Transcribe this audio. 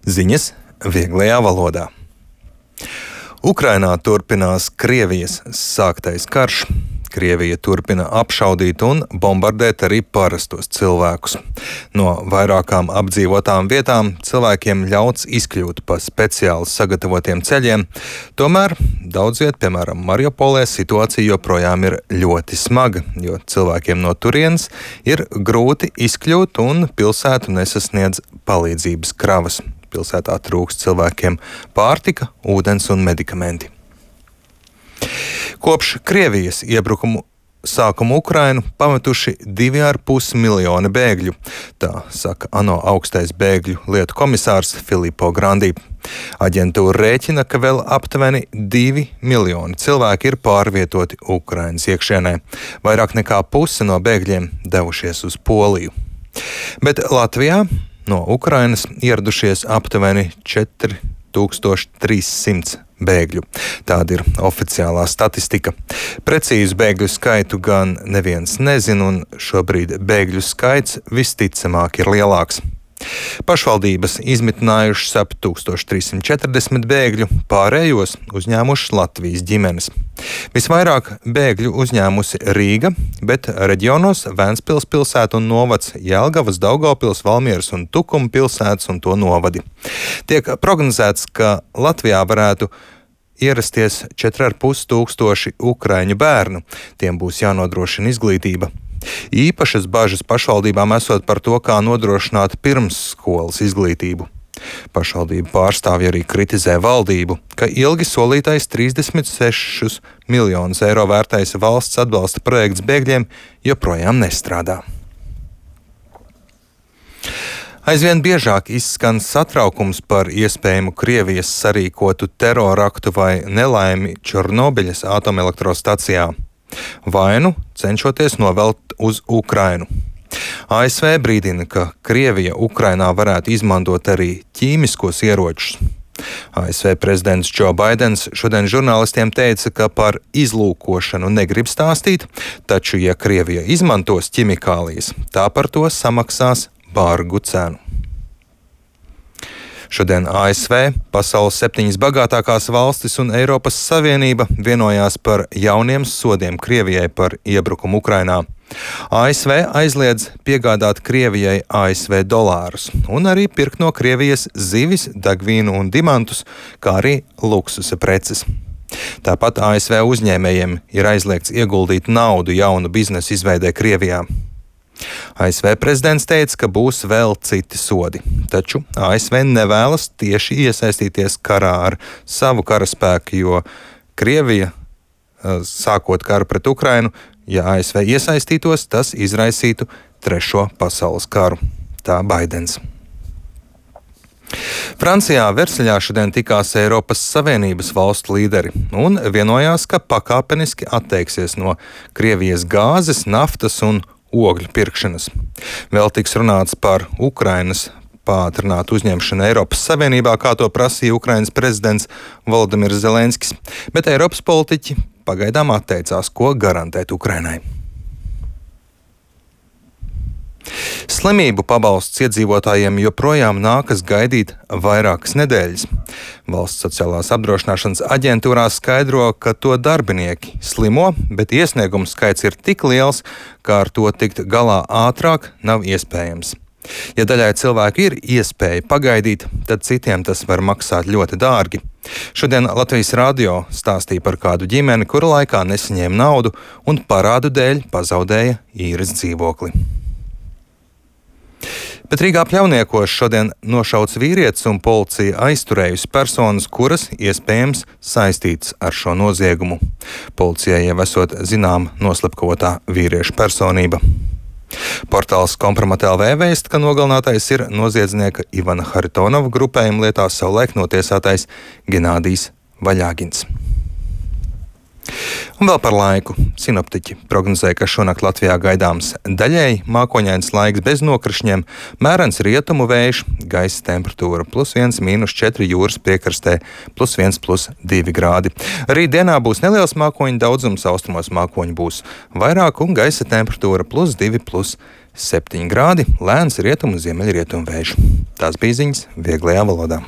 Ziņas vieglajā valodā. Ukrainā turpinās Krievijas sāktais karš. Krievija turpina apšaudīt un bombardēt arī parastos cilvēkus. No vairākām apdzīvotām vietām cilvēkiem ļauts izkļūt pa speciāli sagatavotiem ceļiem. Tomēr daudz viet, piemēram, Mariupolē, situācija joprojām ir ļoti smaga, jo cilvēkiem no turienes ir grūti izkļūt un pilsētu nesasniedz palīdzības kravas. Pilsētā trūkst cilvēkiem pārtika, ūdens un medikamenti. Kopš Krievijas iebrukumu sākuma Ukrainu pametuši 2,5 miljoni bēgļu, tā saka ANO augstais bēgļu lietu komisārs Filippo Grandi. Aģentūra rēķina, ka vēl aptuveni 2 miljoni cilvēki ir pārvietoti Ukrainas iekšienē. Vairāk nekā puse no bēgļiem devušies uz Poliju. Bet Latvijā no Ukrainas ieradušies aptuveni 4300 bēgļu. Tāda ir oficiālā statistika. Precīzu bēgļu skaitu gan neviens nezina, un šobrīd bēgļu skaits visticamāk ir lielāks. Pašvaldības izmitinājušas ap 1340 bēgļu, pārējos uzņēmušas Latvijas ģimenes. Visvairāk bēgļu uzņēmusi Rīga, bet reģionos Ventspils pilsēta un novads, Jelgavas, Daugavpils, Valmieras un Tukuma pilsētas un to novadi. Tiek prognozēts, ka Latvijā varētu ierasties 4,5 tūkstoši ukraiņu bērnu. Tiem būs jānodrošina izglītība. Īpašas bažas pašvaldībām esot par to, kā nodrošināt pirmsskolas izglītību. Pašvaldību pārstāvji arī kritizē valdību, ka ilgi solītais 36 miljonus eiro vērtais valsts atbalsta projekts bēgļiem joprojām nestrādā. Aizvien biežāk izskan satraukums par iespējamu Krievijas sarīkotu teroraktu vai nelaimi Černobiļas atomelektrostacijā. Vainu cenšoties novelt uz Ukrainu. ASV brīdina, ka Krievija Ukrainā varētu izmantot arī ķīmiskos ieročus. ASV prezidents Džo Baidens šodien žurnālistiem teica, ka par izlūkošanu negrib stāstīt, taču, ja Krievija izmantos ķimikālijas, tā par to samaksās bargu cenu. Šodien ASV, pasaules 7 bagātākās valstis un Eiropas Savienība vienojās par jauniem sodiem Krievijai par iebrukumu Ukrainā. ASV aizliedz piegādāt Krievijai ASV dolārus un arī pirkt no Krievijas zivis, degvīnu un dimantus, kā arī luksusa preces. Tāpat ASV uzņēmējiem ir aizliegts ieguldīt naudu jaunu biznesu izveidē Krievijā. ASV prezidents teica, ka būs vēl citi sodi, taču ASV nevēlas tieši iesaistīties karā ar savu karaspēku, jo Krievija, sākot karu pret Ukrainu, ja ASV iesaistītos, tas izraisītu Trešo pasaules karu. Tā Baidens. Francijā Versaļā šodien tikās Eiropas Savienības valstu līderi un vienojās, ka pakāpeniski atteiksies no Krievijas gāzes, naftas un ogļu pirkšanas. Vēl tiks runāts par Ukrainas pātrinātu uzņemšanu Eiropas Savienībā, kā to prasīja Ukrainas prezidents Volodimirs Zelenskis, bet Eiropas politiķi pagaidām atteicās, ko garantēt Ukrainai. Slimību pabalsts iedzīvotājiem joprojām nākas gaidīt vairākas nedēļas. Valsts sociālās apdrošināšanas aģentūrā skaidro, ka to darbinieki slimo, bet iesniegumu skaits ir tik liels, ka ar to tikt galā ātrāk nav iespējams. Ja daļai cilvēku ir iespēja pagaidīt, tad citiem tas var maksāt ļoti dārgi. Šodien Latvijas radio stāstīja par kādu ģimeni, kura laikā nesaņēma naudu un parādu dēļ pazaudēja īres dzīvokli. Bet Rīgā Pļauniekos šodien nošauts vīrietis un policija aizturējusi personas, kuras iespējams saistītas ar šo noziegumu. Policijai jau esot zinām noslepkavotā vīrieša personība. Portāls Kompromat.lv vēsta, ka nogalinātais ir noziedznieka Ivana Haritonova grupējuma lietā savulaik notiesātais Genādijs Vaļāgins. Un vēl par laiku. Sinoptiķi prognozē, ka šonakt Latvijā gaidāms daļēji mākoņains laiks bez nokrišņiem, mērens rietumu vējš, gaisa temperatūra +1, -4 jūras piekrastē, +1, +2 grādi. Rīt dienā būs neliels mākoņu daudzums, austrumos mākoņu būs vairāk un gaisa temperatūra +2, +7 grādi, lēns rietumu un ziemeļrietumu vējš. Tās bija ziņas vieglajā valodā.